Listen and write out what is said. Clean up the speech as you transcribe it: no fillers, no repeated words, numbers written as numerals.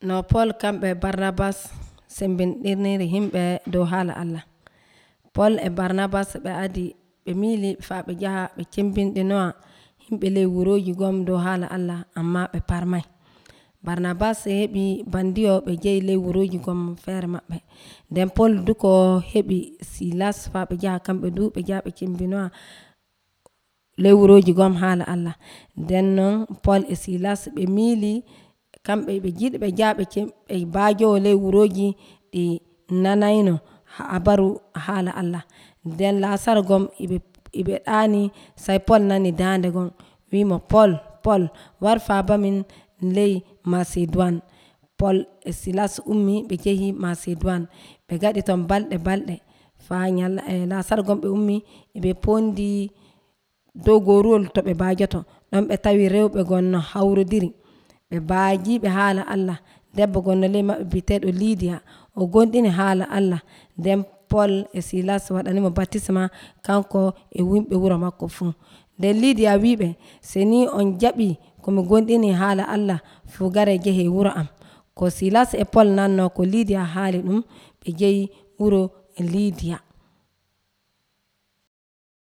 no Pol kamɓe Barnabas sembindirniri himɓe dow haala Allah. Pol e Barnabas ɓe adi ɓe miili faa ɓe njaha ɓe cembindinowa himɓe ley wuroji gom dow haala Allah amma ɓe parmai. Barnabas heɓi bandiyo ɓe jehi ley wuroji gom feere maɓɓe. Nden Pol duko heɓi Silas faa ɓe njaha kamɓe du ɓe njaha ɓe cembinowa ley wuroji gom haala Allah. Nden non Pol e Silas ɓe miili kamɓe ɓe jiɗi ɓe njaha ɓe baajowo ley wuroji ɗi nanayno habaru haala Allah. Nden Lasar gom iɓe ɗaani sai Pol nani dande gon wimo Pol war faabamin ley Macedoine. Pol e Silas ummi ɓe jehi Macedoine ɓe gaɗi ton balɗe faa Lasar gom ɓe ummi ɓe pondi dow goruwol to ɓe baajoto ɗon ɓe tawi rewɓe gon no hawrodiri ɓe baajiɓe haala Allah. Debbo gonno ley maɓɓe biteɗo Lidia o gonɗini haala Allah. Nden Pol e Silas waɗanimo baptisma kanko e wimɓe wuro makko fu. Nden Lidia wiɓe seni on jaɓi komi gonɗini haala Allah fu gare jehe wuro am. Ko Silas e Pol nanno ko Lidia haali ɗum ɓe jehi wuro Lidia.